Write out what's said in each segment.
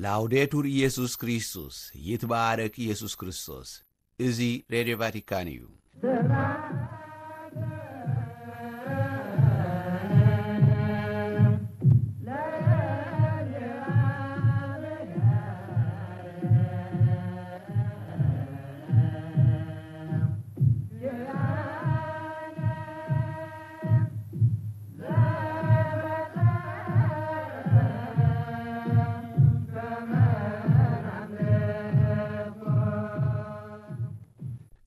ላውዴቱር ኢየሱስ ክርስቶስ፣ ይትባረክ ኢየሱስ ክርስቶስ። እዚ ሬድዮ ቫቲካን እዩ።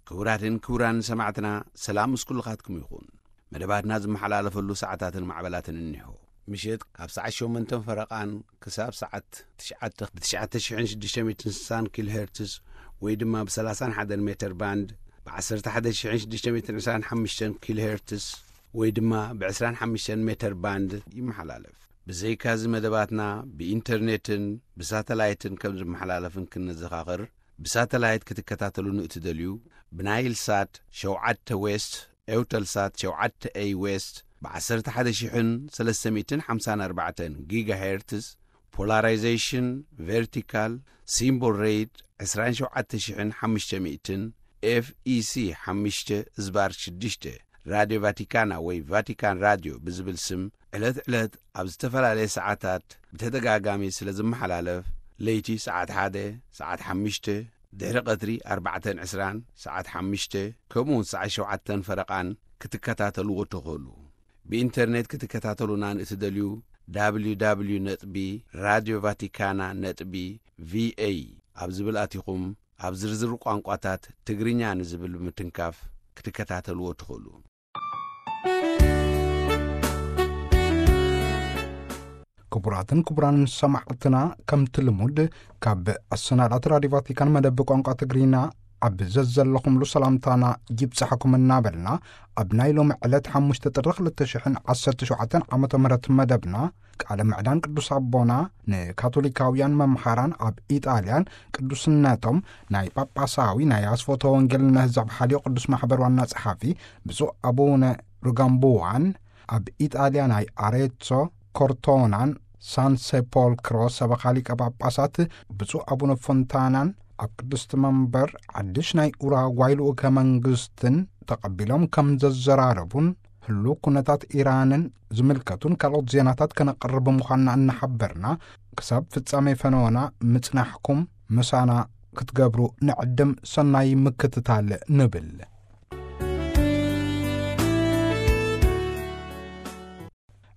ክቡራትን ክቡራን ሰማዕትና፣ ሰላም ምስ ኩልኻትኩም ይኹን። መደባትና ዝመሓላለፈሉ ሰዓታትን ማዕበላትን እኒሆ። ምሸት ካብ ሰዓት ሸሞንተን ፈረቓን ክሳብ ሰዓት ትሽዓተ ብ ትሽዓተ ሽሕን ሽዱሽተ ሚእትን ስሳን ኪሎ ሄርትስ ወይ ድማ ብ ሰላሳን ሓደን ሜተር ባንድ፣ ብ ዓሰርተ ሓደ ሽሕን ሽዱሽተ ሚእትን ዕስራን ሓሙሽተን ኪሎ ሄርትስ ወይ ድማ ብ ዕስራን ሓሙሽተን ሜተር ባንድ ይመሓላለፍ። ብዘይካዚ መደባትና ብኢንተርኔትን ብሳተላይትን ከም ዝመሓላለፍን ክንዘኻኽር፣ ብሳተላይት ክትከታተሉ ንእትደልዩ፣ ብናይል ሳት ሸውዓተ ዌስት፣ ኤውተል ሳት ሸውዓተ ኤይ ዌስት፣ ብ ዓሰርተ ሓደ ሽሕን ሰለስተ ሚእትን ሓምሳን ኣርባዕተን ጊጋ ሄርትስ፣ ፖላራይዜሽን ቨርቲካል፣ ሲምቦል ሬት ዕስራን ሸውዓተ ሽሕን ሓሙሽተ ሚእትን፣ ኤፍ ኢ ሲ ሓሙሽተ ዝባር ሽዱሽተ፣ ራድዮ ቫቲካና ወይ ቫቲካን ራድዮ ብዝብል ስም ዕለት ዕለት ኣብ ዝተፈላለየ ሰዓታት ብተደጋጋሚ ስለ ዝመሓላለፍ፣ ለይቲ ሰዓት ሓደ፣ ሰዓት ሓሙሽተ፣ ድሕሪ ቀትሪ ኣርባዕተን ዕስራን፣ ሰዓት ሓሙሽተ፣ ከምኡውን ሰዓት ሸውዓተን ፈረቓን ክትከታተልዎ ትኽእሉ። ብኢንተርኔት ክትከታተሉና ንእትደልዩ፣ ደብሊው ደብሊው ደብሊው ነጥቢ ራድዮ ቫቲካና ነጥቢ ቪ ኤ ኣብ ዝብል ኣቲኹም፣ ኣብ ዝርዝር ቋንቋታት ትግርኛ ንዝብል ብምትንካፍ ክትከታተልዎ ትኽእሉ። ክቡራትን ክቡራን ሰማዕትና፣ ከምቲ ልሙድ ካብ ኣሰናዳእቲ ራድዮ ቫቲካን መደብ ቋንቋ ትግርኛ ኣብ ዘዘለኹምሉ ሰላምታና ይብጻሕኩም እናበልና፣ ኣብ ናይ ሎሚ ዕለት ሓሙሽተ ጥሪ ክልተ ሽሕን ዓሰርተ ሸውዓተን ዓመተ ምህረት መደብና፣ ቃለ ምዕዳን ቅዱስ ኣቦና ንካቶሊካውያን መምሃራን ኣብ ኢጣልያን፣ ቅዱስነቶም ናይ ጳጳሳዊ ናይ ኣስፎተ ወንጌል ንህዝብ ሓልዮ ቅዱስ ማሕበር ዋና ጸሓፊ ብፁዕ ኣቡነ ሩጋምቡዋን፣ ኣብ ኢጣልያ ናይ ኣሬትሶ፣ ኮርቶናን ሳን ሴፖልክሮ ሰበኻ ሊቀ ጳጳሳት ብፁዕ ኣቡነ ፎንታናን፣ ኣብ ቅድስቲ መንበር ሓድሽ ናይ ኡራጓይ ልኡከ መንግስትን ተቐቢሎም ከም ዘዘራረቡን፣ ህሉው ኩነታት ኢራንን ዝምልከቱን ካልኦት ዜናታት ከነቕርብ ምዃንና እናሓበርና፣ ክሳብ ፍጻሜ ፈነወና ምጽናሕኩም ምሳና ክትገብሩ ንዕድም። ሰናይ ምክትታል ንብል።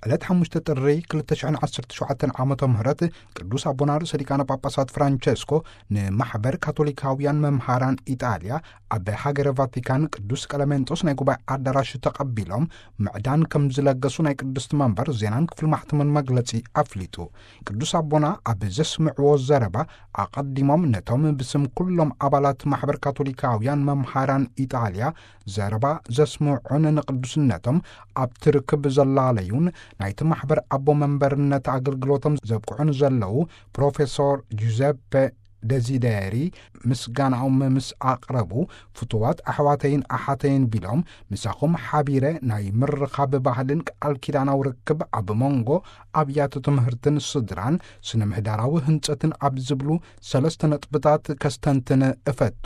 ዕለት ሓሙሽተ ጥሪ ክልተ ሽሕን ዓሰርተ ሸውዓተን ዓመተ ምህረት ቅዱስ ኣቦና ርእሰ ሊቃነ ጳጳሳት ፍራንቸስኮ ንማሕበር ካቶሊካውያን መምሃራን ኢጣልያ ኣብ ሃገረ ቫቲካን ቅዱስ ቀለሜንጦስ ናይ ጉባኤ ኣዳራሽ ተቐቢሎም ምዕዳን ከም ዝለገሱ ናይ ቅድስቲ መንበር ዜናን ክፍሊ ማሕተምን መግለጺ ኣፍሊጡ። ቅዱስ ኣቦና ኣብ ዘስምዕዎ ዘረባ ኣቐዲሞም ነቶም ብስም ኩሎም ኣባላት ማሕበር ካቶሊካውያን መምሃራን ኢጣልያ ዘረባ ዘስምዑን ንቅዱስነቶም ኣብቲ ርክብ ዘላለዩን ናይቲ ማሕበር ኣቦ መንበርነት ኣገልግሎቶም ዘብቅዑን ዘለዉ ፕሮፌሶር ጁዘፔ ደዚደሪ ምስጋናኦም ምስ ኣቕረቡ፣ ፍቱዋት ኣሕዋተይን ኣሓተይን ቢሎም፣ ምሳኹም ሓቢረ ናይ ምርኻብ ባህልን ቃል ኪዳናዊ ርክብ ኣብ መንጎ ኣብያተ ትምህርትን ስድራን ስነ ምህዳራዊ ህንጸትን ኣብ ዝብሉ ሰለስተ ነጥብታት ከስተንትን እፈቱ።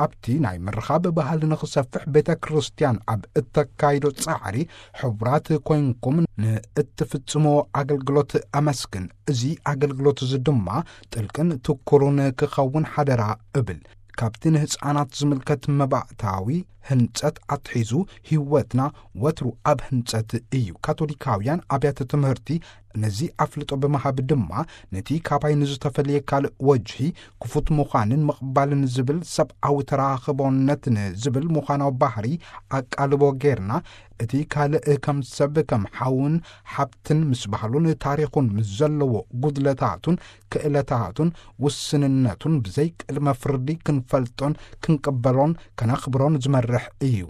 ኣብቲ ናይ ምርኻብ ባህሊ ንኽሰፍሕ ቤተ ክርስቲያን ኣብ እተካይዶ ጻዕሪ ሕቡራት ኮይንኩም ንእትፍጽምዎ ኣገልግሎት ኣመስግን። እዚ ኣገልግሎት እዚ ድማ ጥልቅን ትኩሩን ክኸውን ሓደራ እብል። ካብቲ ንህፃናት ዝምልከት መባእታዊ ህንጸት ኣትሒዙ ህይወትና ወትሩ ኣብ ህንጸት እዩ። ካቶሊካውያን ኣብያተ ትምህርቲ ነዚ ኣፍልጦ ብምሃብ ድማ ነቲ ካባይ ንዝተፈልየ ካልእ ወጅሂ ክፉት ምዃንን ምቕባልን ዝብል ሰብኣዊ ተራኽቦነት ንዝብል ምዃናዊ ባህሪ ኣቃልቦ ጌርና፣ እቲ ካልእ ከም ሰብ፣ ከም ሓውን ሓብትን ምስ ባህሉን ታሪኹን ምስ ዘለዎ ጉድለታቱን ክእለታቱን ውስንነቱን ብዘይ ቅድመ ፍርዲ ክንፈልጦን ክንቅበሎን ከነኽብሮን ዝመርሕ እዩ።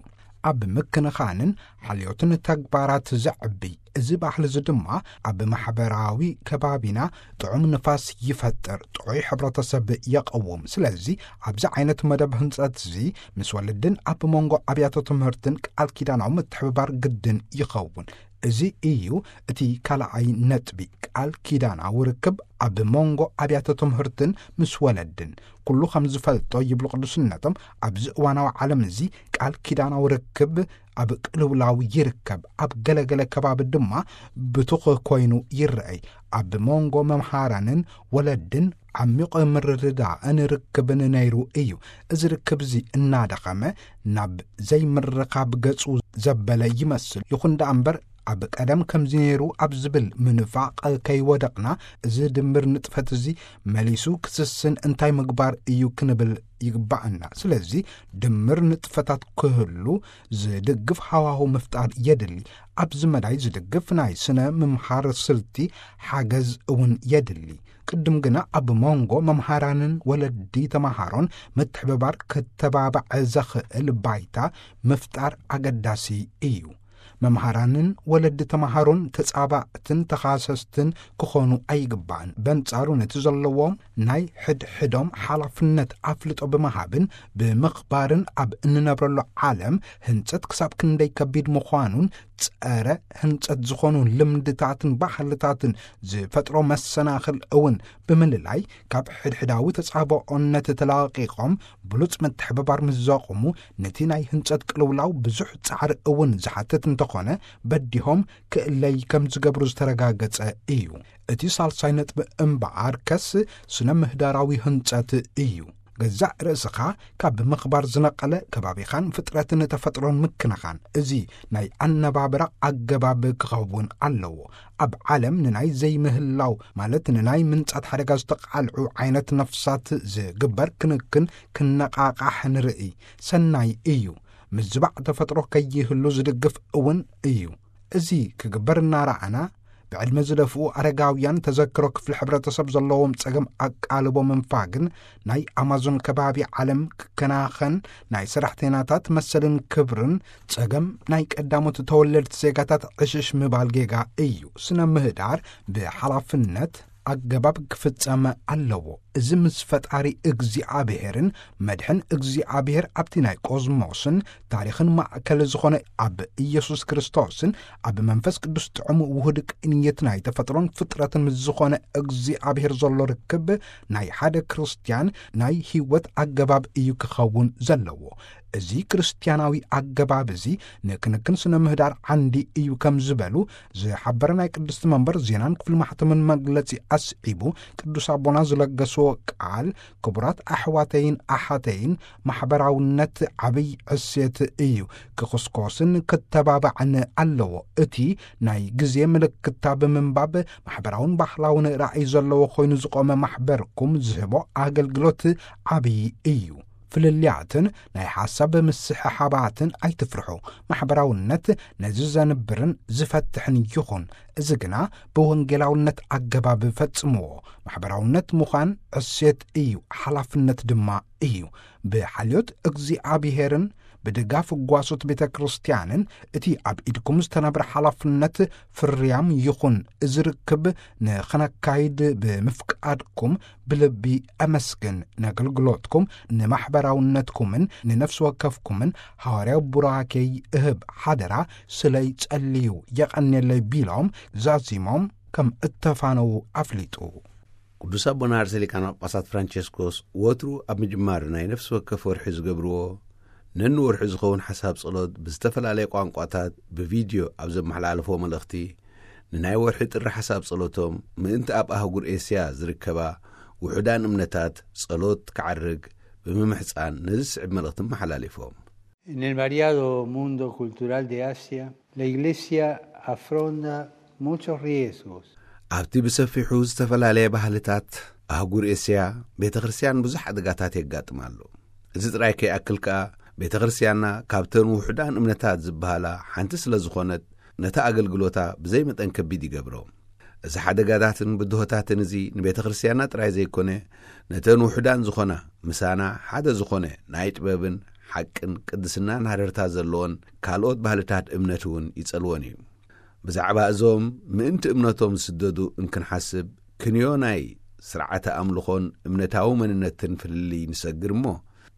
ኣብ ምክንኻንን ሓልዮትን ተግባራት ዘዕቢ እዚ ባህሊ እዚ ድማ ኣብ ማሕበራዊ ከባቢና ጥዑም ንፋስ ይፈጥር፣ ጥዑይ ሕብረተሰብ የቐውም። ስለዚ ኣብዚ ዓይነት መደብ ህንጸት እዚ ምስ ወለድን ኣብ መንጎ ኣብያተ ትምህርትን ቃል ኪዳናዊ ምትሕብባር ግድን ይኸውን። እዚ እዩ እቲ ካልኣይ ነጥቢ። ቃል ኪዳናዊ ርክብ ኣብ መንጎ ኣብያተ ትምህርትን ምስ ወለድን ኩሉ ከም ዝፈልጦ ይብሉ ቅዱስነቶም፣ ኣብዚ እዋናዊ ዓለም እዚ ቃል ኪዳናዊ ርክብ ኣብ ቅልውላው ይርከብ። ኣብ ገለገለ ከባቢ ድማ ብቱኽ ኮይኑ ይረኣይ። ኣብ መንጎ መምሃራንን ወለድን ዓሚቕ ምርድዳእን ርክብን ነይሩ እዩ። እዚ ርክብ እዚ እናደኸመ ናብ ዘይምርኻብ ገጹ ዘበለ ይመስል። ይኹን ደኣ እምበር ኣብ ቀደም ከምዚ ነይሩ ኣብ ዝብል ምንፋቕ ከይወደቕና፣ እዚ ድምር ንጥፈት እዚ መሊሱ ክስስን እንታይ ምግባር እዩ ክንብል ይግባኣና። ስለዚ ድምር ንጥፈታት ክህሉ ዝድግፍ ሃዋሁ ምፍጣር የድሊ። ኣብዚ መዳይ ዝድግፍ ናይ ስነ ምምሃር ስልቲ ሓገዝ እውን የድሊ። ቅድም ግና ኣብ መንጎ መምሃራንን ወለዲ ተመሃሮን ምትሕብባር ክተባባዕ ዘኽእል ባይታ ምፍጣር ኣገዳሲ እዩ። መምሃራንን ወለዲ ተመሃሮን ተጻባእትን ተኻሰስትን ክኾኑ ኣይግባእን። በንጻሩ ነቲ ዘለዎም ናይ ሕድሕዶም ሓላፍነት ኣፍልጦ ብምሃብን ብምኽባርን ኣብ እንነብረሉ ዓለም ህንጸት ክሳብ ክንደይ ከቢድ ምዃኑን ጸረ ህንጸት ዝኾኑ ልምድታትን ባህልታትን ዝፈጥሮ መሰናኽል እውን ብምልላይ ካብ ሕድሕዳዊ ተጻብኦነት ተላቒቖም ብሉጽ ምትሕብባር ምስ ዘቑሙ ነቲ ናይ ህንጸት ቅልውላው ብዙሕ ጻዕሪ እውን ዝሓትት እንተኾነ በዲሆም ክእለይ ከም ዝገብሩ ዝተረጋገጸ እዩ። እቲ ሳልሳይ ነጥቢ እምበኣር ከስ ስነ ምህዳራዊ ህንጸት እዩ። ገዛእ ርእስኻ ካብ ምኽባር ዝነቐለ ከባቢኻን ፍጥረትን ተፈጥሮን ምክንኻን፣ እዚ ናይ ኣነባብራ ኣገባብ ክኸውን ኣለዎ። ኣብ ዓለም ንናይ ዘይምህላው ማለት ንናይ ምንጻት ሓደጋ ዝተቓልዑ ዓይነት ነፍሳት ዝግበር ክንክን ክነቓቓሕ ንርኢ። ሰናይ እዩ። ምዝባዕ ተፈጥሮ ከይህሉ ዝድግፍ እውን እዩ። እዚ ክግበር እናረኣና፣ ብዕድመ ዝደፍኡ ኣረጋውያን ተዘክሮ ክፍሊ ሕብረተሰብ ዘለዎም ጸገም ኣቃልቦ ምንፋግን ናይ ኣማዞን ከባቢ ዓለም ክከናኸን ናይ ሰራሕተኛታት መሰልን ክብርን ጸገም ናይ ቀዳሞት ተወለድቲ ዜጋታት ዕሽሽ ምባል ጌጋ እዩ። ስነ ምህዳር ብሓላፍነት ኣገባብ ክፍጸም ኣለዎ። እዚ ምስ ፈጣሪ እግዚኣብሔርን መድሕን እግዚኣብሔር ኣብቲ ናይ ቆዝሞስን ታሪኽን ማእከል ዝኾነ ኣብ ኢየሱስ ክርስቶስን ኣብ መንፈስ ቅዱስ ጥዑም ውሁድ ቅንየት ናይ ተፈጥሮን ፍጥረትን ምስ ዝኾነ እግዚኣብሔር ዘሎ ርክብ ናይ ሓደ ክርስትያን ናይ ህይወት ኣገባብ እዩ ክኸውን ዘለዎ። እዚ ክርስትያናዊ ኣገባብ እዚ ንክንክን ስነ ምህዳር ዓንዲ እዩ ከም ዝበሉ ዝሓበረ ናይ ቅድስቲ መንበር ዜናን ክፍሊ ማሕተምን መግለጺ ኣስዒቡ፣ ቅዱስ ኣቦና ዝለገስዎ ቃል፣ ክቡራት ኣሕዋተይን ኣሓተይን፣ ማሕበራውነት ዓብይ ዕሴት እዩ፣ ክኹስኮስን ክተባባዕን ኣለዎ። እቲ ናይ ግዜ ምልክታ ብምንባብ ማሕበራውን ባህላውን ራእይ ዘለዎ ኮይኑ ዝቆመ ማሕበርኩም ዝህቦ ኣገልግሎት ዓብይ እዩ። ፍልልያትን ናይ ሓሳብ ምስሕሓባትን ኣይትፍርሑ። ማሕበራውነት ነዚ ዘንብርን ዝፈትሕን ይኹን። እዚ ግና ብወንጌላውነት ኣገባብ ፈጽምዎ። ማሕበራውነት ምዃን ዕሴት እዩ፣ ሓላፍነት ድማ እዩ። ብሓልዮት እግዚኣብሔርን ብድጋፍ ጓሶት ቤተ ክርስቲያንን እቲ ኣብ ኢድኩም ዝተነብረ ሓላፍነት ፍርያም ይኹን። እዚ ርክብ ንኸነካይድ ብምፍቃድኩም ብልቢ ኣመስግን። ነገልግሎትኩም፣ ንማሕበራውነትኩምን ንነፍሲ ወከፍኩምን ሃዋርያዊ ቡራኬይ እህብ ሓደራ ስለይ ጸልዩ የቐንየለይ ቢሎም ዛዚሞም ከም እተፋነዉ ኣፍሊጡ። ቅዱስ ኣቦና ርእሰ ሊቃነ ጳጳሳት ፍራንቸስኮስ ወትሩ ኣብ ምጅማር ናይ ነፍሲ ወከፍ ወርሒ ዝገብርዎ ነንወርሒ ዝኸውን ሓሳብ ጸሎት ብዝተፈላለየ ቋንቋታት ብቪድዮ ኣብ ዘመሓላለፍዎ መልእኽቲ፣ ንናይ ወርሒ ጥሪ ሓሳብ ጸሎቶም ምእንቲ ኣብ ኣህጉር ኤስያ ዝርከባ ውሑዳን እምነታት ጸሎት ክዓርግ ብምምሕጻን ነዚ ዝስዕብ መልእኽቲ ኣመሓላሊፎም። En el variado mundo cultural de Asia, la Iglesia afronta muchos riesgos. ኣብቲ ብሰፊሑ ዝተፈላለየ ባህልታት ኣህጉር ኤስያ ቤተ ክርስቲያን ብዙሕ ሓደጋታት የጋጥማ ኣሎ። እዚ ጥራይ ከይኣክል ከኣ ቤተ ክርስቲያንና ካብተን ውሑዳን እምነታት ዝበሃላ ሓንቲ ስለ ዝኾነት ነታ ኣገልግሎታ ብዘይ መጠን ከቢድ ይገብሮ። እዚ ሓደጋታትን ብድሆታትን እዚ ንቤተ ክርስቲያንና ጥራይ ዘይኮነ ነተን ውሑዳን ዝኾና ምሳና ሓደ ዝኾነ ናይ ጥበብን ሓቅን ቅድስናን ሃረርታ ዘለዎን ካልኦት ባህልታት እምነት እውን ይጸልወን እዩ። ብዛዕባ እዞም ምእንቲ እምነቶም ዝስደዱ እንክንሓስብ ክንዮ ናይ ስርዓተ ኣምልኾን እምነታዊ መንነትን ፍልልይ ንሰግር እሞ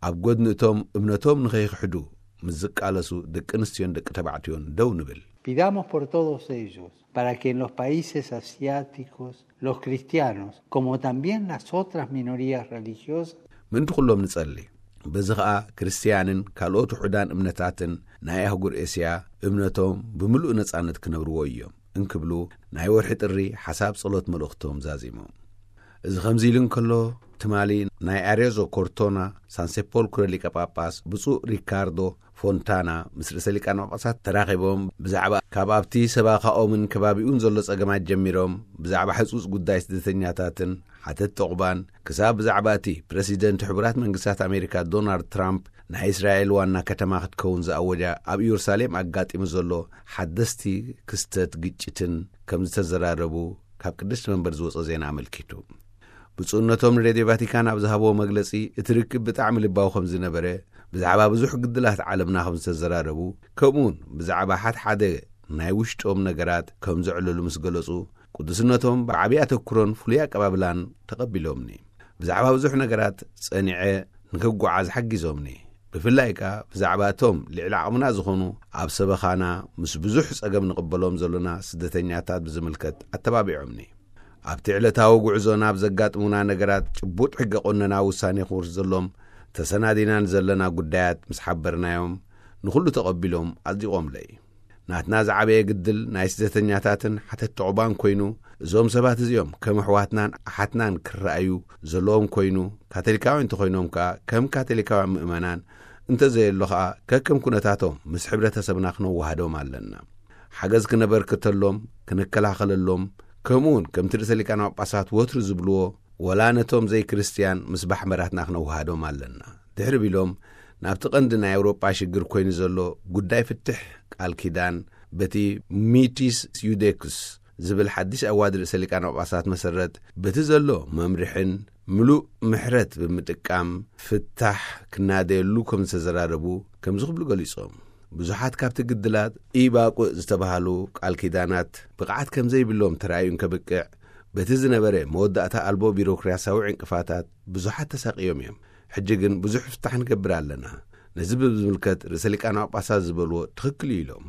ኣብ ጎድኒ እቶም እምነቶም ንኸይክሕዱ ምስ ዝቃለሱ ደቂ ኣንስትዮን ደቂ ተባዕትዮን ደው ንብል። Pidamos por todos ellos, para que en los países asiáticos los cristianos, como también las otras minorías religiosas, ምእንቲ ኩሎም ንጸሊ። በዚ ኸኣ ክርስትያንን ካልኦት ውሑዳን እምነታትን ናይ ኣህጉር ኤስያ እምነቶም ብምሉእ ነጻነት ክነብርዎ እዮም እንክብሉ ናይ ወርሒ ጥሪ ሓሳብ ጸሎት መልእኽቶም ዛዚሞም። እዚ ከምዚ ኢሉ እንከሎ፣ ትማሊ ናይ ኣሬዞ ኮርቶና ሳንሴፖልክሮ ሊቀ ጳጳስ ብፁዕ ሪካርዶ ፎንታና ምስ ርእሰ ሊቃነ ጳጳሳት ተራኺቦም፣ ብዛዕባ ካብ ኣብቲ ሰባኻኦምን ከባቢኡን ዘሎ ጸገማት ጀሚሮም፣ ብዛዕባ ሕጹጽ ጉዳይ ስደተኛታትን ሓተት ተቑባን፣ ክሳብ ብዛዕባ እቲ ፕረሲደንት ሕቡራት መንግስታት ኣሜሪካ ዶናልድ ትራምፕ ናይ እስራኤል ዋና ከተማ ክትከውን ዝኣወጃ ኣብ ኢየሩሳሌም ኣጋጢሙ ዘሎ ሓደስቲ ክስተት ግጭትን ከም ዝተዘራረቡ ካብ ቅድስቲ መንበር ዝወጸ ዜና ኣመልኪቱ። ብፁዕነቶም ንሬድዮ ቫቲካን ኣብ ዝሃብዎ መግለጺ፣ እቲ ርክብ ብጣዕሚ ልባዊ ከም ዝነበረ፣ ብዛዕባ ብዙሕ ግድላት ዓለምና ከም ዝተዘራረቡ፣ ከምኡውን ብዛዕባ ሓድሓደ ናይ ውሽጦም ነገራት ከም ዘዕለሉ ምስ ገለጹ፣ ቅዱስነቶም ብዓቢ ኣተኩሮን ፍሉይ ኣቀባብላን ተቐቢሎምኒ። ብዛዕባ ብዙሕ ነገራት ጸኒዐ ንክጓዓዝ ሓጊዞምኒ። ብፍላይ ከኣ ብዛዕባ እቶም ልዕሊ ዓቕምና ዝኾኑ ኣብ ሰበኻና ምስ ብዙሕ ጸገም ንቕበሎም ዘሎና ስደተኛታት ብዝምልከት ኣተባቢዖምኒ። ኣብቲ ዕለታዊ ጉዕዞና ኣብ ዘጋጥሙና ነገራት ጭቡጥ ሕገ ቆነና ውሳኔ ክወርስ ዘሎም ተሰናዲናን ዘለና ጉዳያት ምስ ሓበርናዮም ንኹሉ ተቐቢሎም ኣጽዲቖምለይ። ናትና ዝዓበየ ግድል ናይ ስደተኛታትን ሓተት ተቑባን ኮይኑ፣ እዞም ሰባት እዚኦም ከም ኣሕዋትናን ኣሓትናን ክረኣዩ ዘለዎም ኮይኑ፣ ካቶሊካውያን እንተኾይኖም ከኣ ከም ካቶሊካውያን ምእመናን፣ እንተዘየሎ ከኣ ከከም ኩነታቶም ምስ ሕብረተሰብና ክነወሃዶም ኣለና። ሓገዝ ክነበርክተሎም፣ ክንከላኸለሎም፣ ከምኡውን ከምቲ ርእሰ ሊቃነ ጳጳሳት ወትሩ ዝብልዎ፣ ወላ ነቶም ዘይክርስትያን ምስ ባሕመራትና ክነወሃዶም ኣለና። ድሕሪ ቢሎም፣ ናብቲ ቀንዲ ናይ ኣውሮጳ ሽግር ኮይኑ ዘሎ ጉዳይ ፍትሕ ቃል ኪዳን በቲ ሚቲስ ዩዴክስ ዝብል ሓድሽ ኣዋጅ ርእሰ ሊቃነ ጳጳሳት መሰረት፣ በቲ ዘሎ መምርሕን ምሉእ ምሕረት ብምጥቃም ፍታሕ ክናደየሉ ከም ዝተዘራረቡ ከምዚ ክብሉ ገሊጾም። ብዙሓት ካብቲ ግድላት ኢባቁዕ ዝተባህሉ ቃል ኪዳናት ብቕዓት ከም ዘይብሎም ተራእዩ እንከብቅዕ፣ በቲ ዝነበረ መወዳእታ ኣልቦ ቢሮክራስያዊ ዕንቅፋታት ብዙሓት ተሳቅዮም እዮም። ሕጂ ግን ብዙሕ ፍታሕ ንገብር ኣለና። ነዚ ብዝምልከት ርእሰ ሊቃነ ጳጳሳት ዝበልዎ ትኽክል እዩ ኢሎም።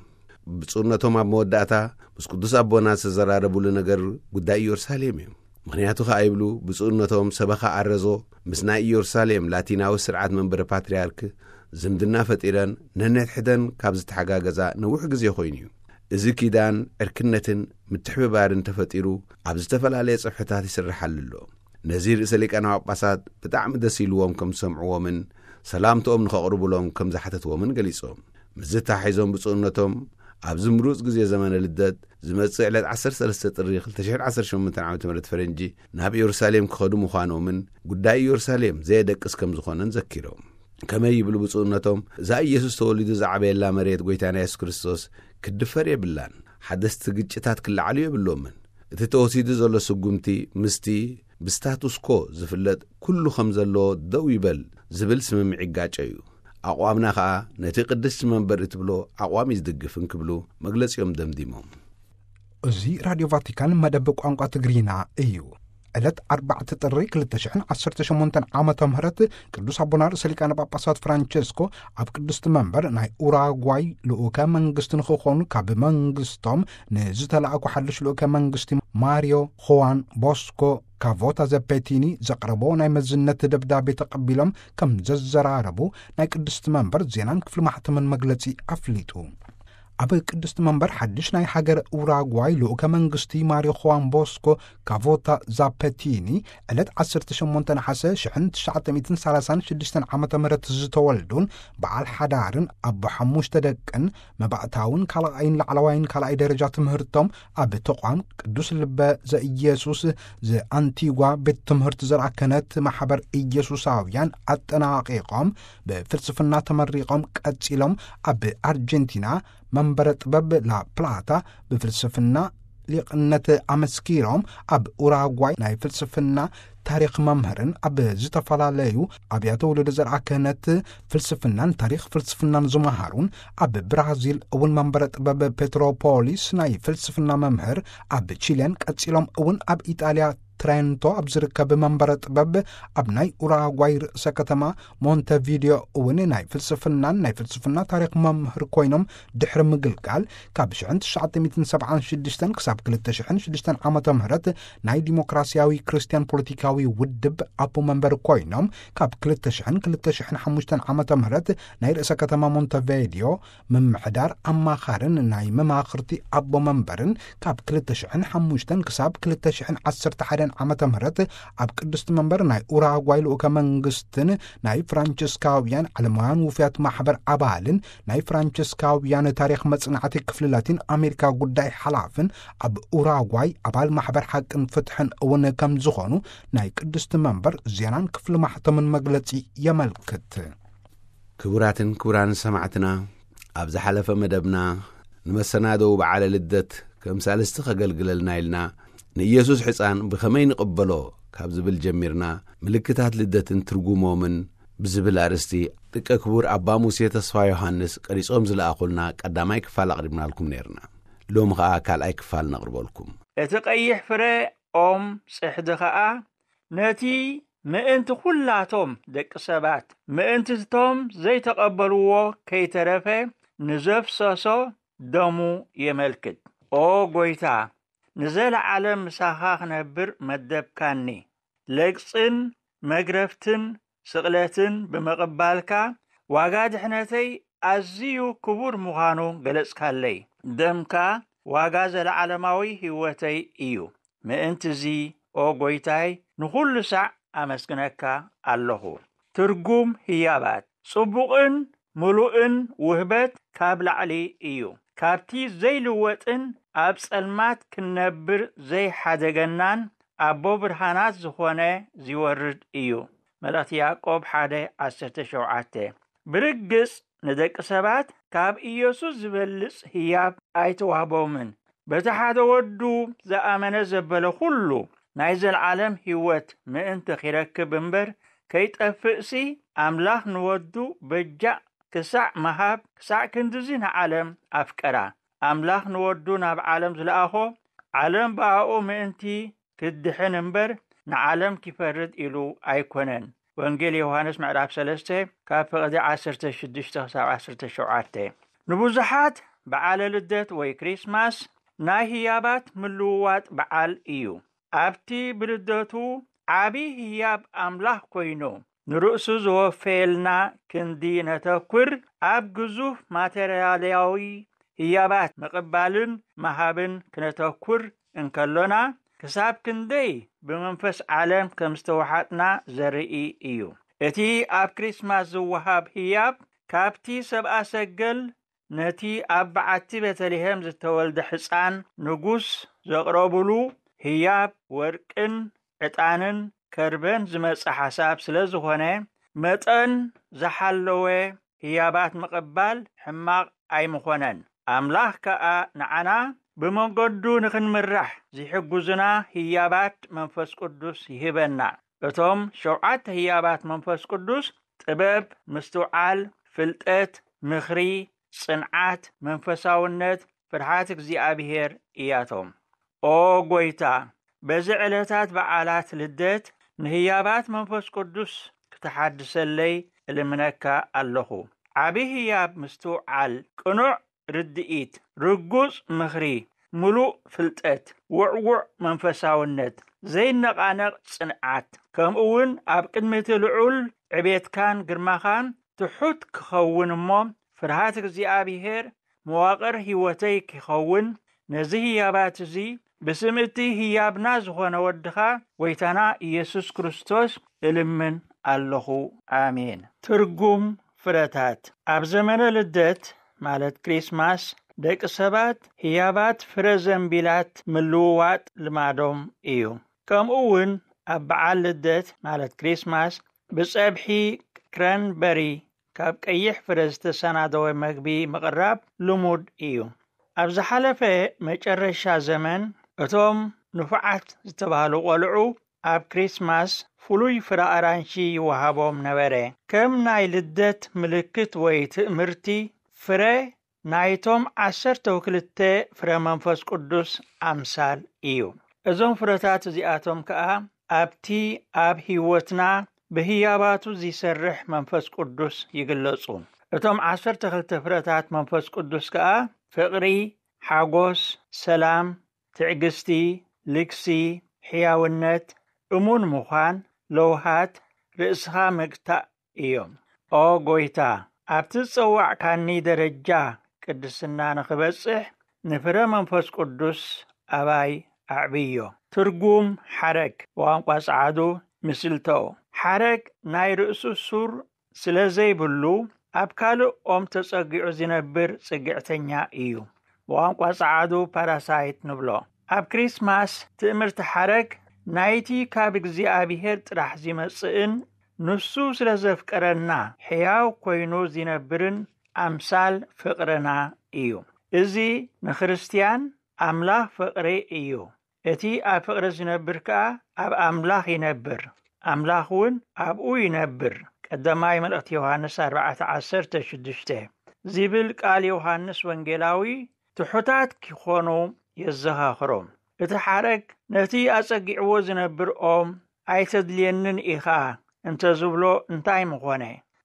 ብፁዕነቶም ኣብ መወዳእታ ምስ ቅዱስ ኣቦና ዝተዘራረቡሉ ነገር ጉዳይ ኢየሩሳሌም እዩ። ምኽንያቱ ኸኣ ይብሉ ብፁዕነቶም፣ ሰበኻ ኣረዞ ምስ ናይ ኢየሩሳሌም ላቲናዊ ስርዓት መንበረ ፓትርያርክ ዝምድና ፈጢረን ነንሕድሕደን ካብ ዝተሓጋገዛ ነዊሕ ግዜ ኮይኑ እዩ። እዚ ኪዳን ዕርክነትን ምትሕብባርን ተፈጢሩ ኣብ ዝተፈላለየ ጽፍሕታት ይስርሓሉ ኣሎ። ነዚ ርእሰ ሊቃነ ጳጳሳት ብጣዕሚ ደስ ኢልዎም ከም ዝሰምዕዎምን ሰላምትኦም ንኸቕርቡሎም ከም ዝሓተትዎምን ገሊጾም። ምስዚ ተታሒዞም ብፁዕነቶም ኣብዚ ምሩጽ ግዜ ዘመነ ልደት ዝመጽእ ዕለት ዓሰርተ ሰለስተ ጥሪ ክልተ ሽሕን ዓሰርተ ሸሞንተን ዓመተ ምህረት ፈረንጂ ናብ ኢየሩሳሌም ክኸዱ ምዃኖምን ጉዳይ ኢየሩሳሌም ዘየደቅስ ከም ዝኾነን ዘኪሮም። ከመይ ይብሉ ብፁዕነቶም፣ እዛ ኢየሱስ ተወሊዱ ዝዓበየላ መሬት ጐይታና የሱስ ክርስቶስ ክትድፈር የብላን። ሓደስቲ ግጭታት ክለዓሉ የብሎምን። እቲ ተወሲዱ ዘሎ ስጉምቲ ምስቲ ብስታቱስ ኮ ዝፍለጥ ኩሉ ከም ዘሎ ደው ይበል ዝብል ስምምዕ ይጋጨ እዩ። ኣቕዋምና ኸኣ ነቲ ቅድስቲ መንበር እትብሎ ኣቕዋም እዩ ዝድግፍ እንክብሉ መግለጺኦም ደምዲሞም። እዚ ራድዮ ቫቲካን መደብ ቋንቋ ትግርኛ እዩ። ዕለት ኣርባዕተ ጥሪ ክልተ ሽሕን ዓሰርተ ሸሞንተን ዓመተ ምህረት ቅዱስ ኣቦና ርእሰ ሊቃነ ጳጳሳት ፍራንቸስኮ ኣብ ቅድስቲ መንበር ናይ ኡራጓይ ልኡከ መንግስቲ ንኽኾኑ ካብ መንግስቶም ንዝተላእኩ ሓድሽ ልኡከ መንግስቲ ማሪዮ ኹዋን ቦስኮ ካቮታ ዘፔቲኒ ዘቕረቦ ናይ መዝነት ደብዳቤ ተቐቢሎም ከም ዘዘራረቡ ናይ ቅድስቲ መንበር ዜናን ክፍሊ ማሕተምን መግለጺ ኣፍሊጡ። ኣብ ቅድስቲ መንበር ሓድሽ ናይ ሃገር ኡራጓይ ልኡከ መንግስቲ ማሪዮ ኹዋን ቦስኮ ካቮታ ዛፐቲኒ ዕለት ዓሰርተ ሸሞንተ ነሓሰ ሽሕን ትሽዓተ ሚእትን ሰላሳን ሽዱሽተን ዓመተ ምህረት ዝተወልዱን በዓል ሓዳርን ኣቦ ሓሙሽተ ደቅን መባእታውን ካልኣይን ላዕለዋይን ካልኣይ ደረጃ ትምህርቶም ኣብ ተቋም ቅዱስ ልበ ዘኢየሱስ ዘኣንቲጓ ቤት ትምህርቲ ዘርኣ ክህነት ማሕበር ኢየሱሳውያን ኣጠናቒቖም ብፍልስፍና ተመሪቖም ቀጺሎም ኣብ ኣርጀንቲና መንበረ ጥበብ ላፕላታ ብፍልስፍና ሊቕነት ኣመስኪሮም ኣብ ኡራጓይ ናይ ፍልስፍና ታሪኽ መምህርን ኣብ ዝተፈላለዩ ኣብያተ ውልዶ ዘርኣ ክህነት ፍልስፍናን ታሪኽ ፍልስፍናን ዝመሃሩን ኣብ ብራዚል እውን መንበረ ጥበብ ፔትሮፖሊስ ናይ ፍልስፍና መምህር ኣብ ቺልያን ቀጺሎም እውን ኣብ ኢጣልያ ትሬንቶ ኣብ ዝርከብ መንበረ ጥበብ ኣብ ናይ ኡራጓይ ርእሰ ከተማ ሞንተቪዲዮ እውን ናይ ፍልስፍናን ናይ ፍልስፍና ታሪኽ መምህር ኮይኖም ድሕሪ ምግልጋል፣ ካብ ሽሕን ትሽዓተ ሚእትን ሰብዓን ሽዱሽተን ክሳብ ክልተ ሽሕን ሽዱሽተን ዓመተ ምህረት ናይ ዲሞክራሲያዊ ክርስትያን ፖለቲካዊ ውድብ ኣቦ መንበር ኮይኖም፣ ካብ ክልተ ሽሕን ክልተ ሽሕን ሓሙሽተን ዓመተ ምህረት ናይ ርእሰ ከተማ ሞንተቪዲዮ ምምሕዳር ኣማኻርን ናይ መማኽርቲ ኣቦ መንበርን፣ ካብ ክልተ ሽሕን ሓሙሽተን ክሳብ ክልተ ሽሕን ዓሰርተ ሓደን ዓመተ ምህረት ኣብ ቅድስቲ መንበር ናይ ኡራጓይ ልኡከ መንግስትን ናይ ፍራንቸስካውያን ዓለማውያን ውፍያት ማሕበር ኣባልን ናይ ፍራንቸስካውያን ታሪኽ መጽናዕቲ ክፍሊ ላቲን ኣሜሪካ ጉዳይ ሓላፍን ኣብ ኡራጓይ ኣባል ማሕበር ሓቅን ፍትሕን እውን ከም ዝኾኑ ናይ ቅድስቲ መንበር ዜናን ክፍሊ ማሕተምን መግለጺ የመልክት። ክቡራትን ክቡራን ሰማዕትና፣ ኣብ ዝሓለፈ መደብና ንመሰናደው በዓለ ልደት ከም ሳልስቲ ከገልግለልና ኢልና ንኢየሱስ ሕፃን ብኸመይ ንቕበሎ ካብ ዝብል ጀሚርና፣ ምልክታት ልደትን ትርጉሞምን ብዝብል ኣርእስቲ ደቀ ክቡር ኣባ ሙሴ ተስፋ ዮሃንስ ቀሪጾም ዝለኣኹልና ቀዳማይ ክፋል ኣቕሪብናልኩም ነይርና። ሎሚ ኸኣ ካልኣይ ክፋል ነቕርበልኩም። እቲ ቀይሕ ፍረ ኦም ጽሕዲ ኸኣ ነቲ ምእንቲ ኹላቶም ደቂ ሰባት፣ ምእንቲ እቶም ዘይተቐበልዎ ከይተረፈ ንዘፍሰሶ ደሙ የመልክት። ኦ ጐይታ፣ ንዘለዓለም ምሳኻ ክነብር መደብካኒ። ለግጽን መግረፍትን ስቕለትን ብምቕባልካ ዋጋ ድሕነተይ ኣዝዩ ክቡር ምዃኑ ገለጽካለይ። ደምካ ዋጋ ዘለዓለማዊ ህይወተይ እዩ። ምእንትዚ ኦ ጐይታይ ንኹሉ ሳዕ ኣመስግነካ ኣለኹ። ትርጉም ህያባት ጽቡቕን ምሉእን ውህበት ካብ ላዕሊ እዩ። ካብቲ ዘይልወጥን ኣብ ጸልማት ክንነብር ዘይሓደገናን ኣቦ ብርሃናት ዝኾነ ዚወርድ እዩ። መልእኽቲ ያዕቆብ ሓደ ዓሰርተ ሸውዓተ። ብርግጽ ንደቂ ሰባት ካብ ኢየሱስ ዝበልጽ ህያብ ኣይተዋህቦምን። በቲ ሓደ ወዱ ዝኣመነ ዘበለ ኩሉ ናይ ዘለዓለም ህይወት ምእንቲ ኺረክብ እምበር ከይጠፍእሲ፣ ኣምላኽ ንወዱ በጃ ክሳዕ ምሃብ፣ ክሳዕ ክንድዚ ንዓለም ኣፍቀራ። ኣምላኽ ንወዱ ናብ ዓለም ዝለኣኾ፣ ዓለም ብኣኡ ምእንቲ ክትድሕን እምበር ንዓለም ኪፈርድ ኢሉ ኣይኮነን። ወንጌል ዮሃንስ ምዕራፍ ሰለስተ ካብ ፍቕዲ ዓሰርተ ሽዱሽተ ክሳብ ዓሰርተ ሸውዓተ። ንብዙሓት በዓለ ልደት ወይ ክሪስማስ ናይ ህያባት ምልውዋጥ በዓል እዩ። ኣብቲ ብልደቱ ዓቢ ህያብ ኣምላኽ ኮይኑ ንርእሱ ዝወፈየልና ክንዲ ነተኩር፣ ኣብ ግዙፍ ማተርያልያዊ ህያባት ምቕባልን ምሃብን ክነተኩር እንከሎና፣ ክሳብ ክንደይ ብመንፈስ ዓለም ከም ዝተወሓጥና ዘርኢ እዩ። እቲ ኣብ ክሪስማስ ዝወሃብ ህያብ፣ ካብቲ ሰብኣ ሰገል ነቲ ኣብ በዓቲ ቤተልሔም ዝተወልደ ሕፃን ንጉስ ዘቕረቡሉ ህያብ ወርቅን ዕጣንን ከርበን ዝመጸ ሓሳብ ስለ ዝኾነ፣ መጠን ዝሓለወ ህያባት ምቕባል ሕማቕ ኣይምኾነን። ኣምላኽ ከኣ ንዓና ብመንገዱ ንኽንምራሕ ዝሕግዙና ህያባት መንፈስ ቅዱስ ይህበና። እቶም ሸውዓተ ህያባት መንፈስ ቅዱስ ጥበብ፣ ምስትውዓል፣ ፍልጠት፣ ምኽሪ፣ ጽንዓት፣ መንፈሳውነት፣ ፍርሃት እግዚኣብሔር እያቶም። ኦ ጐይታ፣ በዚ ዕለታት በዓላት ልደት ንህያባት መንፈስ ቅዱስ ክትሓድሰለይ እልምነካ ኣለኹ። ዓቢ ህያብ ምስትውዓል፣ ቅኑዕ ርድኢት፣ ርጉጽ ምኽሪ፣ ምሉእ ፍልጠት፣ ውዕዉዕ መንፈሳውነት፣ ዘይነቓነቕ ጽንዓት፣ ከምኡ እውን ኣብ ቅድሚ እቲ ልዑል ዕቤትካን ግርማኻን ትሑት ክኸውን እሞ፣ ፍርሃት እግዚኣብሔር መዋቕር ህይወተይ ኪኸውን፣ ነዚ ህያባት እዚ ብስም እቲ ህያብና ዝኾነ ወድኻ ጐይታና ኢየሱስ ክርስቶስ እልምን ኣለኹ። ኣሜን። ትርጉም ፍረታት። ኣብ ዘመነ ልደት ማለት ክሪስማስ፣ ደቂ ሰባት ህያባት ፍረ ዘንቢላት ምልውዋጥ ልማዶም እዩ። ከምኡ እውን ኣብ በዓል ልደት ማለት ክሪስማስ፣ ብጸብሒ ክረንበሪ ካብ ቀይሕ ፍረ ዝተሰናደወ መግቢ ምቕራብ ልሙድ እዩ። ኣብ ዝሓለፈ መጨረሻ ዘመን፣ እቶም ንፉዓት ዝተባህሉ ቈልዑ ኣብ ክሪስማስ ፍሉይ ፍረ ኣራንሺ ይወሃቦም ነበረ። ከም ናይ ልደት ምልክት ወይ ትእምርቲ፣ ፍረ ናይቶም ዓሰርተው ክልተ ፍረ መንፈስ ቅዱስ ኣምሳል እዩ። እዞም ፍረታት እዚኣቶም ከኣ ኣብቲ ኣብ ህይወትና ብህያባቱ ዚሰርሕ መንፈስ ቅዱስ ይግለጹ። እቶም ዓሰርተ ክልተ ፍረታት መንፈስ ቅዱስ ከኣ ፍቕሪ፣ ሓጎስ፣ ሰላም፣ ትዕግስቲ፣ ልግሲ፣ ሕያውነት፣ እሙን ምዃን፣ ለውሃት፣ ርእስኻ ምግታእ እዮም። ኦ ጎይታ፣ ኣብቲ ዝጸዋዕካኒ ደረጃ ቅድስና ንኽበጽሕ ንፍረ መንፈስ ቅዱስ ኣባይ ኣዕብዮ። ትርጉም ሓረግ ብቋንቋ ጸዓዱ፣ ሚስልቶው። ሓረግ ናይ ርእሱ ሱር ስለ ዘይብሉ ኣብ ካልእ ኦም ተጸጊዑ ዝነብር ጽግዕተኛ እዩ። ብቋንቋ ጸዓዱ ፓራሳይት ንብሎ። ኣብ ክሪስማስ ትእምርቲ ሓረግ ናይቲ ካብ እግዚኣብሔር ጥራሕ ዚመጽእን ንሱ ስለ ዘፍቀረና ሕያው ኮይኑ ዚነብርን ኣምሳል ፍቕርና እዩ። እዚ ንክርስትያን ኣምላኽ ፍቕሪ እዩ። እቲ ኣብ ፍቕሪ ዝነብር ከኣ ኣብ ኣምላኽ ይነብር፣ ኣምላኽ እውን ኣብኡ ይነብር። ቀዳማይ መልእኽቲ ዮሃንስ ኣርባዕተ ዓሰርተ ሽዱሽተ ዚብል ቃል ዮሃንስ ወንጌላዊ ትሑታት ኪኾኑ የዘኻኽሮም። እቲ ሓረግ ነቲ ኣጸጊዕዎ ዝነብር ኦም ኣይተድልየንን ኢኻ እንተ ዝብሎ እንታይ ምኾነ?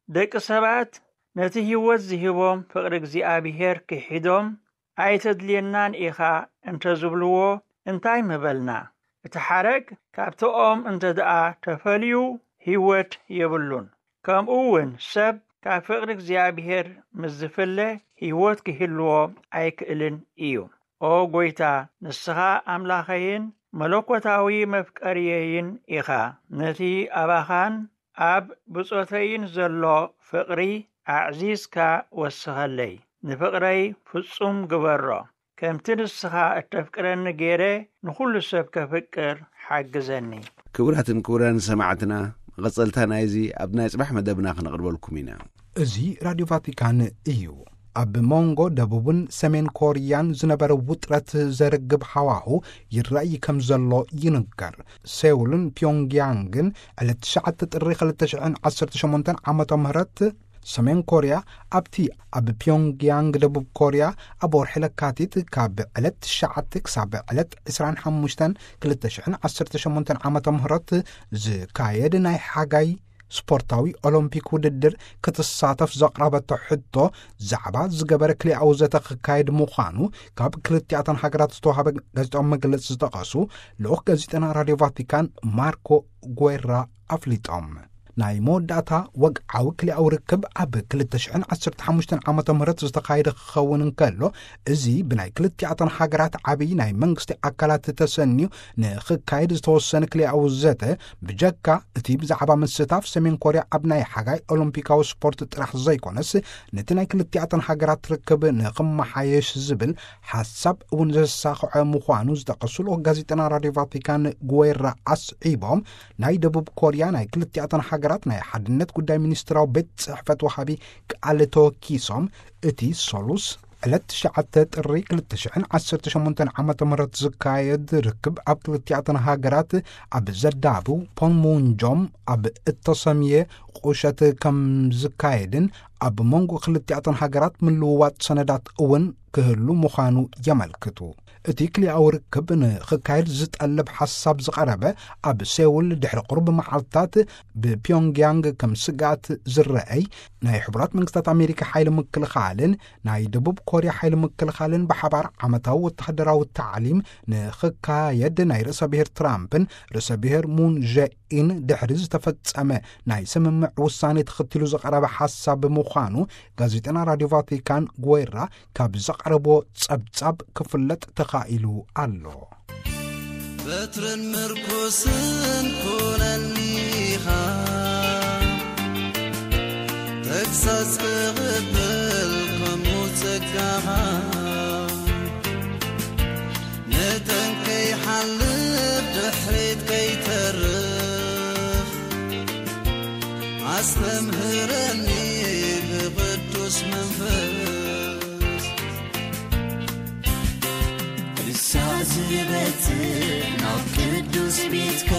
ደቂ ሰባት ነቲ ህይወት ዝህቦም ፍቕሪ እግዚኣብሔር ክሒዶም ኣይተድልየናን ኢኻ እንተ ዝብልዎ እንታይ ምበልና? እቲ ሓረግ ካብቲ ኦም እንተ ደኣ ተፈልዩ ህይወት የብሉን። ከምኡ እውን ሰብ ካብ ፍቕሪ እግዚኣብሔር ምስ ዝፍለ ህይወት ክህልዎ ኣይክእልን እዩ። ኦ ጎይታ፣ ንስኻ ኣምላኸይን መለኮታዊ መፍቀርየይን ኢኻ። ነቲ ኣባኻን ኣብ ብጾተይን ዘሎ ፍቕሪ ኣዕዚዝካ ወስኸለይ። ንፍቕረይ ፍጹም ግበሮ። ከምቲ ንስኻ እተፍቅረኒ ገይረ ንኹሉ ሰብ ከፍቅር ሓግዘኒ። ክቡራትን ክቡራን ሰማዕትና፣ መቐጸልታ ናይዚ ኣብ ናይ ጽባሕ መደብና ክነቕርበልኩም ኢና። እዚ ራድዮ ቫቲካን እዩ። ኣብ መንጎ ደቡብን ሰሜን ኮርያን ዝነበረ ውጥረት ዘርግብ ሃዋሁ ይረኣይ ከም ዘሎ ይንገር። ሴውልን ፒዮንግያንግን ዕለት ትሽዓተ ጥሪ ክልተ ሽሕን ዓሰርተ ሸሞንተን ዓመተ ምህረት ሰሜን ኮርያ ኣብቲ ኣብ ፒዮንግያንግ ደቡብ ኮርያ ኣብ ወርሒ ለካቲት ካብ ዕለት ትሽዓተ ክሳብ ዕለት ዕስራን ሓሙሽተን ክልተ ሽሕን ዓሰርተ ሸሞንተን ዓመተ ምህረት ዝካየድ ናይ ሓጋይ ስፖርታዊ ኦሎምፒክ ውድድር ክትሳተፍ ዘቕረበቶ ሕቶ ዛዕባ ዝገበረ ክልኣዊ ዘተ ክካየድ ምዃኑ ካብ ክልቲኣተን ሃገራት ዝተዋሃበ ጋዜጣዊ መግለጺ ዝጠቐሱ ልኡኽ ጋዜጠና ራድዮ ቫቲካን ማርኮ ጉዌራ ኣፍሊጦም። ናይ መወዳእታ ወግዓዊ ክልኣዊ ርክብ ኣብ ክልተ ሽሕን ዓሰርተ ሓሙሽተን ዓመተ ምህረት ዝተኻየደ ክኸውን እንከሎ፣ እዚ ብናይ ክልቲኣተን ሃገራት ዓብዪ ናይ መንግስቲ ኣካላት ተሰንዩ ንኽካየድ ዝተወሰነ ክልኣዊ ዘተ፣ ብጀካ እቲ ብዛዕባ ምስታፍ ሰሜን ኮርያ ኣብ ናይ ሓጋይ ኦሎምፒካዊ ስፖርት ጥራሕ ዘይኮነስ፣ ነቲ ናይ ክልቲኣተን ሃገራት ርክብ ንኽመሓየሽ ዝብል ሓሳብ እውን ዘሳኽዐ ምዃኑ ዝጠቐሱ ልኡኽ ጋዜጠና ራድዮ ቫቲካን ጉዌራ ኣስዒቦም፣ ናይ ደቡብ ኮርያ ናይ ክልቲኣተን ሃገራት ናይ ሓድነት ጉዳይ ሚኒስትራዊ ቤት ጽሕፈት ወሃቢ ቃል ተወኪሶም፣ እቲ ሰሉስ ዕለት ትሽዓተ ጥሪ ክልተ ሽሕን ዓሰርተ ሸሞንተን ዓመተ ምህረት ዝካየድ ርክብ ኣብ ክልቲኣተን ሃገራት ኣብ ዘዳብው ፖንሙንጆም ኣብ እተሰምየ ቁሸት ከም ዝካየድን ኣብ መንጎ ክልቲኣተን ሃገራት ምልውዋጥ ሰነዳት እውን ክህሉ ምዃኑ የመልክቱ። እቲ ክልኣዊ ርክብ ንኽካየድ ዝጠልብ ሓሳብ ዝቐረበ ኣብ ሴውል ድሕሪ ቁሩብ መዓልታት ብፒዮንግያንግ ከም ስግኣት ዝረኣይ ናይ ሕቡራት መንግስታት ኣሜሪካ ሓይሊ ምክልኻልን ናይ ደቡብ ኮርያ ሓይሊ ምክልኻልን ብሓባር ዓመታዊ ወተሃደራዊ ታዕሊም ንኽካየድ ናይ ርእሰ ብሔር ትራምፕን ርእሰ ብሔር ሙን ጀኢን ድሕሪ ዝተፈጸመ ናይ ስምምዕ ውሳኔ ተኸቲሉ ዝቐረበ ሓሳብ ብምዃኑ ጋዜጠና ራድዮ ቫቲካን ጉዌራ ካብ ዘቕረቦ ጸብጻብ ክፍለጥ ተኻኢሉ ኣሎ። በትርን ምርኩስን ኩነኒኻ፣ ተግሳጽ ክቕበል ከምኡ ጸጋኻ፣ ንጠንቀይ ሓልፍ ድሕሪት ከይተርፍ፣ ኣስተምህረኒ ብቕዱስ መንፈስ። ንሳ ዝበጽእ ናብ ቅዱስ ቤትካ፣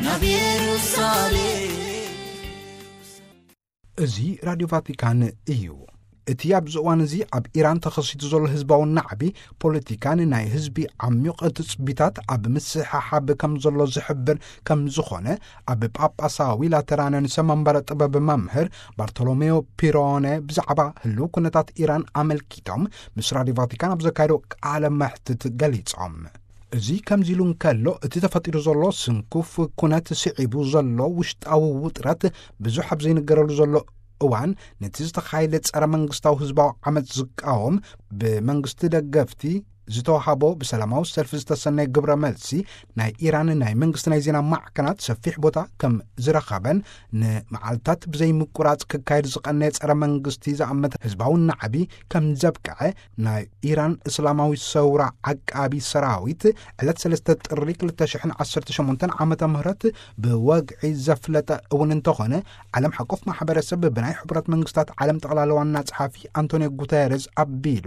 ናብ ኢየሩሳሌም። እዚ ራድዮ ቫቲካን እዩ። እቲ ኣብዚ እዋን እዚ ኣብ ኢራን ተኸሲቱ ዘሎ ህዝባዊ ናዕቢ፣ ፖለቲካን ናይ ህዝቢ ዓሚቕ ትጽቢታት ኣብ ምስሕሓብ ከም ዘሎ ዝሕብር ከም ዝኾነ፣ ኣብ ጳጳሳዊ ላተራን ንሰብ መንበረ ጥበብ መምህር ባርቶሎሜዮ ፒሮነ ብዛዕባ ህልው ኩነታት ኢራን ኣመልኪቶም ምስ ራድዮ ቫቲካን ኣብ ዘካየዶ ቃለ መሕትት ገሊጾም። እዚ ከምዚ ኢሉ እንከሎ፣ እቲ ተፈጢሩ ዘሎ ስንኩፍ ኩነት፣ ስዒቡ ዘሎ ውሽጣዊ ውጥረት፣ ብዙሕ ኣብ ዘይንገረሉ ዘሎ እዋን፣ ነቲ ዝተኻየደ ጸረ መንግስታዊ ህዝባዊ ዓመጽ ዝቃወም፣ ብመንግስቲ ደገፍቲ ዝተዋሃቦ ብሰላማዊ ሰልፊ ዝተሰነየ ግብረ መልሲ፣ ናይ ኢራን ናይ መንግስቲ ናይ ዜና ማዕከናት ሰፊሕ ቦታ ከም ዝረኸበን፣ ንመዓልታት ብዘይምቁራጽ ክካየድ ዝቐነየ ጸረ መንግስቲ ዝኣመተ ህዝባዊ ናዕቢ ከም ዘብቅዐ፣ ናይ ኢራን እስላማዊ ሰውራ ዓቃቢ ሰራዊት ዕለት ሰለስተ ጥሪ ክልተ ሽሕን ዓሰርተ ሸሞንተን ዓመተ ምህረት ብወግዒ ዘፍለጠ እውን እንተኾነ፣ ዓለም ሓቆፍ ማሕበረሰብ ብናይ ሕቡራት መንግስታት ዓለም ጠቕላላ ዋና ጸሓፊ ኣንቶኒዮ ጉተረዝ ኣቢሉ፣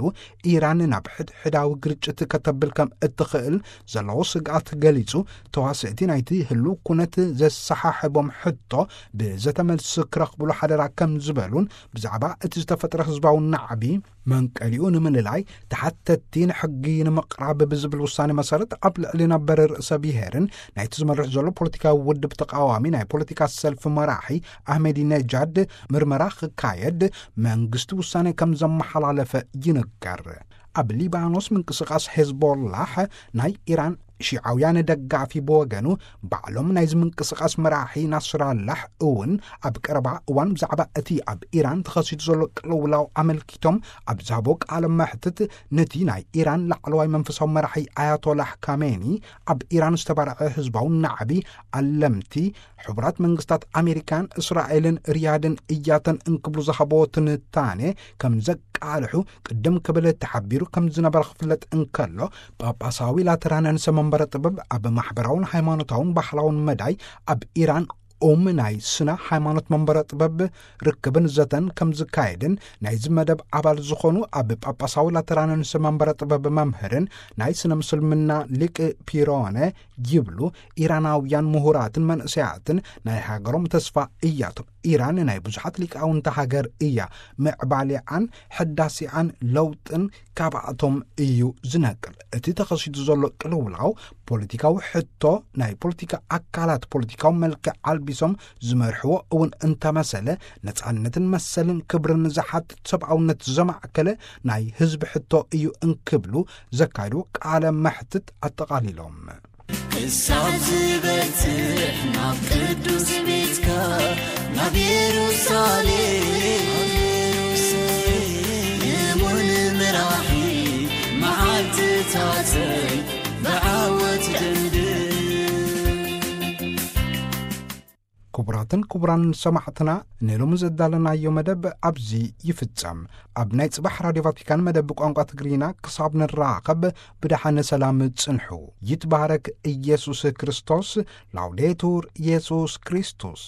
ኢራን ናብ ሕድሕዳዊ ግርጭት ከተብል ከም እትኽእል ዘለዎ ስግኣት ገሊጹ፣ ተዋስእቲ ናይቲ ህልው ኩነት ዘሰሓሕቦም ሕቶ ብዘተ መልሲ ክረኽብሉ ሓደራ ከም ዝበሉን፣ ብዛዕባ እቲ ዝተፈጥረ ህዝባዊ ናዕቢ መንቀሊኡ ንምልላይ ተሓተቲ ንሕጊ ንምቕራብ ብዝብል ውሳኔ መሰረት፣ ኣብ ልዕሊ ነበር ርእሰ ብሔርን ናይቲ ዝመርሕ ዘሎ ፖለቲካዊ ውድብ ተቃዋሚ ናይ ፖለቲካ ሰልፊ መራሒ ኣህመዲነጃድ ምርመራ ክካየድ መንግስቲ ውሳኔ ከም ዘመሓላለፈ ይንገር። ኣብ ሊባኖስ ምንቅስቃስ ሄዝቦላሕ፣ ናይ ኢራን ሺዓውያን ደጋፊ፣ ብወገኑ፣ ባዕሎም ናይዚ ምንቅስቃስ መራሒ ናስራላሕ እውን ኣብ ቀረባ እዋን ብዛዕባ እቲ ኣብ ኢራን ተኸሲቱ ዘሎ ቅልውላው ኣመልኪቶም ኣብ ዝሃቦ ቃለ መሕትት፣ ነቲ ናይ ኢራን ላዕለዋይ መንፈሳዊ መራሒ ኣያቶላህ ካሜኒ፣ ኣብ ኢራን ዝተባርዐ ህዝባዊ ናዕቢ ኣለምቲ ሕቡራት መንግስታት ኣሜሪካን እስራኤልን ሪያድን እያተን እንክብሉ ዝሃቦ ትንታኔ ከም ዘቃልሑ ቅድም ክብል ተሓቢሩ ከም ዝነበረ ክፍለጥ እንከሎ፣ ጳጳሳዊ ላተራን ርእሰ መንበረ ጥበብ ኣብ ማሕበራውን ሃይማኖታውን ባህላውን መዳይ ኣብ ኢራን ኦም ናይ ስነ ሃይማኖት መንበረ ጥበብ ርክብን ዘተን ከም ዝካየድን፣ ናይዚ መደብ ኣባል ዝኾኑ ኣብ ጳጳሳዊ ላተራን ርእሰ መንበረ ጥበብ መምህርን ናይ ስነ ምስልምና ሊቅ ፒሮነ ይብሉ። ኢራናውያን ምሁራትን መንእሰያትን ናይ ሃገሮም ተስፋ እያቶም። ኢራን ናይ ብዙሓት ሊቃውንቲ ሃገር እያ። ምዕባሌኣን ሕዳሴኣን ለውጥን ካብኣቶም እዩ ዝነቅል። እቲ ተኸሲቱ ዘሎ ቅልውላው ፖለቲካዊ ሕቶ፣ ናይ ፖለቲካ ኣካላት ፖለቲካዊ መልክዕ ኣልቢሶም ዝመርሕዎ እውን እንተመሰለ፣ ነጻነትን መሰልን ክብርን ዝሓትት፣ ሰብኣውነት ዘማዕከለ ናይ ህዝቢ ሕቶ እዩ እንክብሉ ዘካይዱ ቃለ መሕትት ኣጠቓሊሎም። ክሳብ ዝበጽሕ ናብ ቅዱስ ቤትካ፣ ናብ የሩሳሌም፣ የሙን ምራሒ መዓልትታተይ ብዓወት ደንድን። ክቡራትን ክቡራን ሰማዕትና፣ ንሎሚ ዘዳለናዮ መደብ ኣብዚ ይፍጸም። ኣብ ናይ ጽባሕ ራድዮ ቫቲካን መደብ ቋንቋ ትግርኛ ክሳብ ንራኸብ፣ ብደሓነ ሰላም ጽንሑ። ይትባረክ ኢየሱስ ክርስቶስ። ላውዴቱር ኢየሱስ ክርስቶስ።